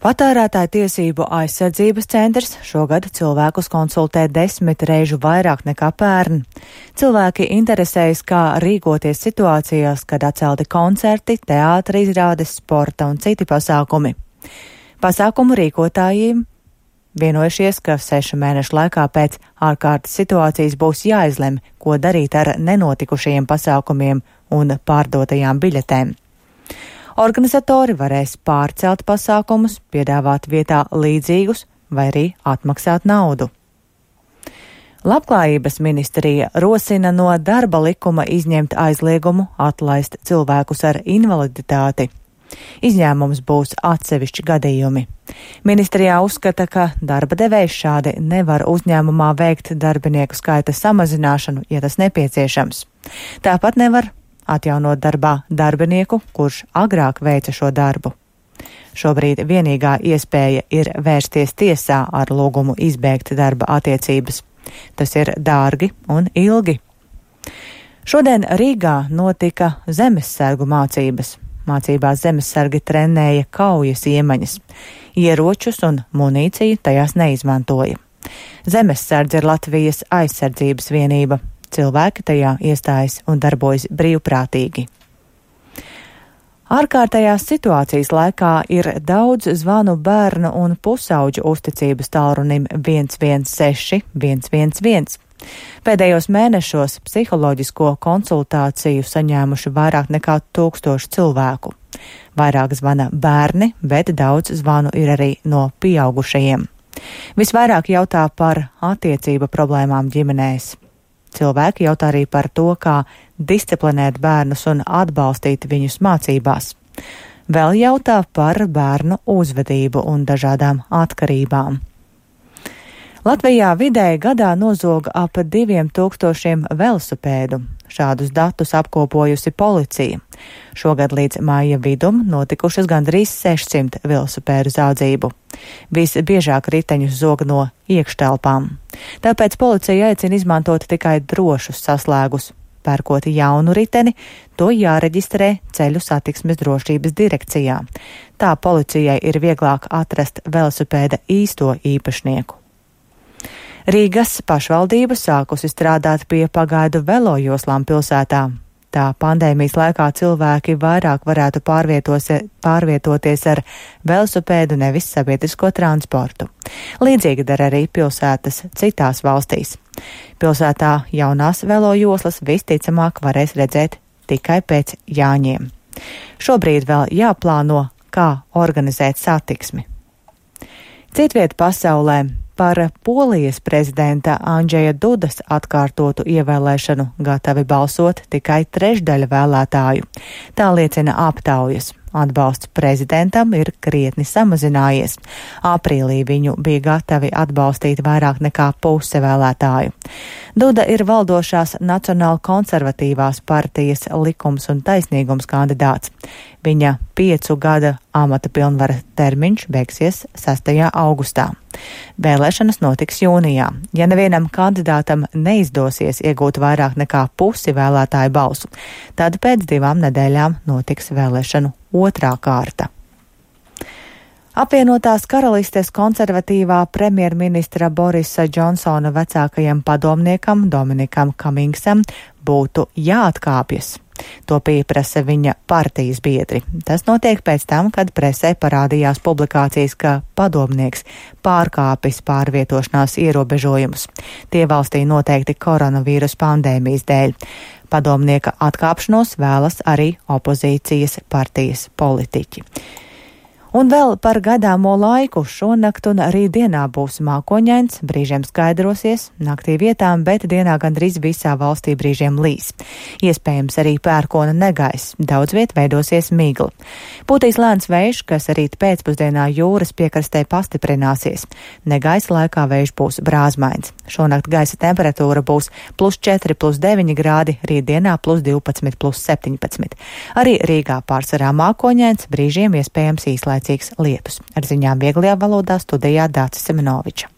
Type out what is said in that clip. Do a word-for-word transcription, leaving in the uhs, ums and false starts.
Patērētāju tiesību aizsardzības centrs šogad cilvēkus konsultē desmit reižu vairāk nekā pērn. Cilvēki interesējas, kā rīkoties situācijās, kad atcelti koncerti, teātra izrādes, sporta un citi pasākumi. Pasākumu rīkotājiem vienojušies, ka sešu mēnešu laikā pēc ārkārtas situācijas būs jāizlem, ko darīt ar nenotikušajiem pasākumiem un pārdotajām biļetēm. Organizatori varēs pārcelt pasākumus, piedāvāt vietā līdzīgus vai arī atmaksāt naudu. Labklājības ministrija rosina no darba likuma izņemt aizliegumu atlaist cilvēkus ar invaliditāti. Izņēmums būs atsevišķi gadījumi. Ministrijā uzskata, ka darba devējs šādi nevar uzņēmumā veikt darbinieku skaita samazināšanu, ja tas nepieciešams. Tāpat nevar atjaunot darbā darbinieku, kurš agrāk veica šo darbu. Šobrīd vienīgā iespēja ir vērsties tiesā ar lūgumu izbēgt darba attiecības. Tas ir dārgi un ilgi. Šodien Rīgā notika zemessargu mācības. Mācībās zemessargi trenēja kaujas iemaņas. Ieročus un munīciju tajās neizmantoja. Zemessardze ir Latvijas aizsardzības vienība. Cilvēki tajā iestājas un darbojas brīvprātīgi. Ārkārtējās situācijas laikā ir daudz zvanu bērnu un pusauģu uzticības tālrunim viens viens seši viens viens viens. Pēdējos mēnešos psiholoģisko konsultāciju saņēmuši vairāk nekā tūkstoši cilvēku. Vairāk zvana bērni, bet daudz zvanu ir arī no pieaugušajiem. Visvairāk jautā par attiecību problēmām ģimenēs. Cilvēki jautā arī par to, kā disciplinēt bērnus un atbalstīt viņus mācībās. Vēl jautā par bērnu uzvedību un dažādām atkarībām. Latvijā vidēji gadā nozoga ap diviem tūkstošiem velosipēdu. Šādus datus apkopojusi policija. Šogad līdz māja vidum notikušas gandrīz sešsimt velosipēdu zādzību. Visbiežāk riteņus zog no iekštelpām. Tāpēc policija aicina izmantot tikai drošus saslēgus. Pērkot jaunu riteni, to jāreģistrē Ceļu satiksmes drošības direkcijā. Tā policijai ir vieglāk atrast velosipēda īsto īpašnieku. Rīgas pašvaldība sākusi strādāt pie pagaidu velojoslām pilsētā. Tā pandēmijas laikā cilvēki vairāk varētu pārvietoties ar velosipēdu, nevis sabiedrisko transportu. Līdzīgi dara arī pilsētas citās valstīs. Pilsētā jaunās velojoslas visticamāk varēs redzēt tikai pēc Jāņiem. Šobrīd vēl jāplāno, kā organizēt satiksmi. Citviet pasaulē par Polijas prezidenta Andžeja Dudas atkārtotu ievēlēšanu gatavi balsot tikai trešdaļa vēlētāju. Tā liecina aptaujas. Atbalsts prezidentam ir krietni samazinājies. Aprīlī viņu bija gatavi atbalstīt vairāk nekā puse vēlētāju. Duda ir valdošās Nacionāla konservatīvās partijas Likums un taisnīgums kandidāts. Viņa piecu gada amata pilnvara termiņš beigsies sestajā augustā. Vēlēšanas notiks jūnijā. Ja nevienam kandidātam neizdosies iegūt vairāk nekā pusi vēlētāju balsu, tad pēc divām nedēļām notiks vēlēšanu otrā kārta. Apvienotās karalistes konservatīvā premjerministra Borisa Džonsona vecākajam padomniekam Dominikam Kamingsam būtu jāatkāpjas. To pieprasa viņa partijas biedri. Tas notiek pēc tam, kad presē parādījās publikācijas, ka padomnieks pārkāpis pārvietošanās ierobežojumus. Tie valstī noteikti koronavīrus pandēmijas dēļ. Padomnieka atkāpšanos vēlas arī opozīcijas partijas politiķi. Un vēl par gadāmo laiku. Šonakt un rītdienā būs mākoņains, brīžiem skaidrosies, naktī vietām, bet dienā gandrīz visā valstī brīžiem līs. Iespējams arī pērkona negaiss, daudz viet veidosies migla. Pūtīs lēns vējš, kas rīt pēcpusdienā jūras piekrastē pastiprināsies. Negaisa laikā vējš būs brāzmains. Šonakt gaisa temperatūra būs plus četri, plus deviņi grādi, rītdienā plus divpadsmit, plus septiņpadsmit. Arī Rīgā pārsvarā mākoņains, brīžiem iespējams īslaicīgs lietus. Ar ziņām vieglajā valodā studijā Dācis Semenoviča.